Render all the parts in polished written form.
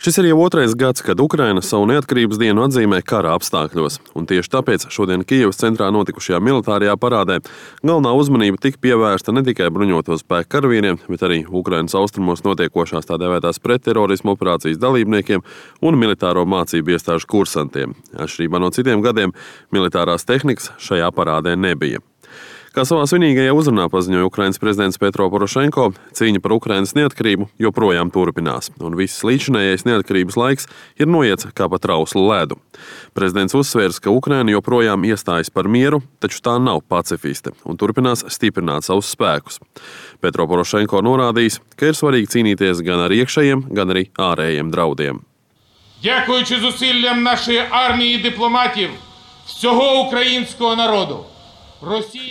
Šis ir jau otrais gads, kad Ukraina savu neatkarības dienu atzīmē kara apstākļos, un tieši tāpēc šodien Kijevas centrā notikušajā militārajā parādē galvenā uzmanība tika pievērsta ne tikai bruņoto spēku karavīriem, bet arī Ukrainas austrumos notiekošās tā dēvētās pretterorismu operācijas dalībniekiem un militāro mācību iestāžu kursantiem. Atšķirībā no citiem gadiem, militārās tehnikas šajā parādē nebija. Kā savā svinīgajā uzrunā paziņoja Ukrainas prezidents Petro Porošenko, cīņa par Ukrainas neatkarību joprojām turpinās, un viss līdzinējais neatkarības laiks ir noiets kā pa trauslu ledu. Prezidents uzsvērs, ka Ukraina joprojām iestājas par mieru, taču tā nav pacifiste un turpinās stiprināt savus spēkus. Petro Porošenko norādījis, ka ir svarīgi cīnīties gan ar iekšējiem, gan arī ārējiem draudiem. Дякуючи зусиллям нашої армії і дипломатів всього українського народу.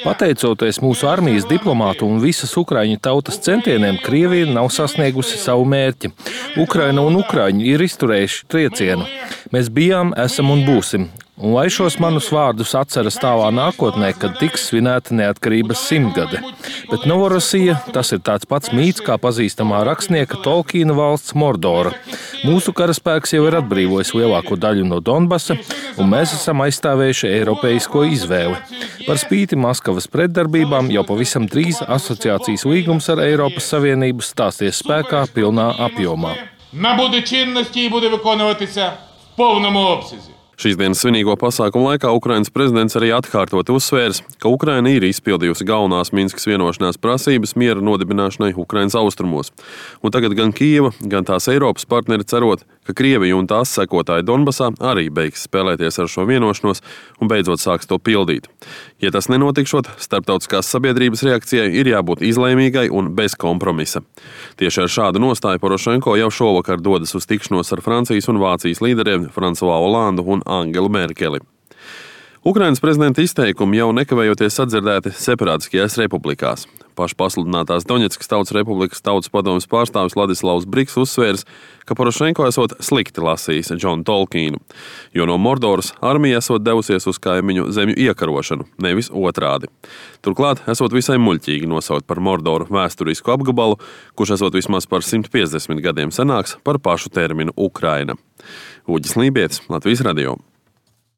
Pateicoties mūsu armijas diplomātu un visas ukraiņu tautas centieniem, Krievija nav sasniegusi savu mērķi. Ukraina un ukraiņi ir izturējuši triecienu. Mēs bijām, esam un būsim. Un lai šos manus vārdus atceras tālā nākotnē, kad tiks svinēta neatkarības 100-gade. Bet Novorosija, tas ir tāds pats mīts kā pazīstamā rakstnieka Tolkiena valsts Mordora. Mūsu karaspēks jau ir atbrīvojis lielāko daļu no Donbasa, un mēs esam aizstāvējuši eiropeisko izvēli. Par spīti Maskavas pretdarbībām jau pavisam drīz asociācijas līgums ar Eiropas Savienību stāsies spēkā pilnā apjomā. Набуде чинності і буде виконуватися в повному обсязі. Šīs dienas svinīgo pasākumu laikā Ukrainas prezidents arī atkārtot uzsvērs, ka Ukraina ir izpildījusi galvenās Minskas vienošanās prasības miera nodibināšanai Ukrainas austrumos. Un tagad gan Kijeva, gan tās Eiropas partneri cerot, ka Krievija un tās sekotāji Donbasā arī beigs spēlēties ar šo vienošanos un beidzot sāks to pildīt. Ja tas nenotikšot, starptautiskās sabiedrības reakcijai ir jābūt izlēmīgai un bez kompromisa. Tieši ar šādu nostāju Porošenko jau šovakar dodas uz tikšanos ar Francijas un Vācijas līderiem Fransuā Olandu un Angelu Merkeli. Ukrainas prezidenta izteikumi jau nekavējoties sadzirdēti separātiskajās republikās. Pašpasludinātās Doņetskas Tautas Republikas Tautas padomes pārstāvis Ladislavs Briks uzsvērs, ka Porošenko esot slikti lasījis Džonu Tolkienu, jo no Mordoras armija esot devusies uz kaimiņu zemju iekarošanu, nevis otrādi. Turklāt esot visai muļķīgi nosaukt par Mordoru vēsturisku apgabalu, kurš esot vismaz par 150 gadiem senāks par pašu terminu Ukraina. Uģis Lībietis, Latvijas radio.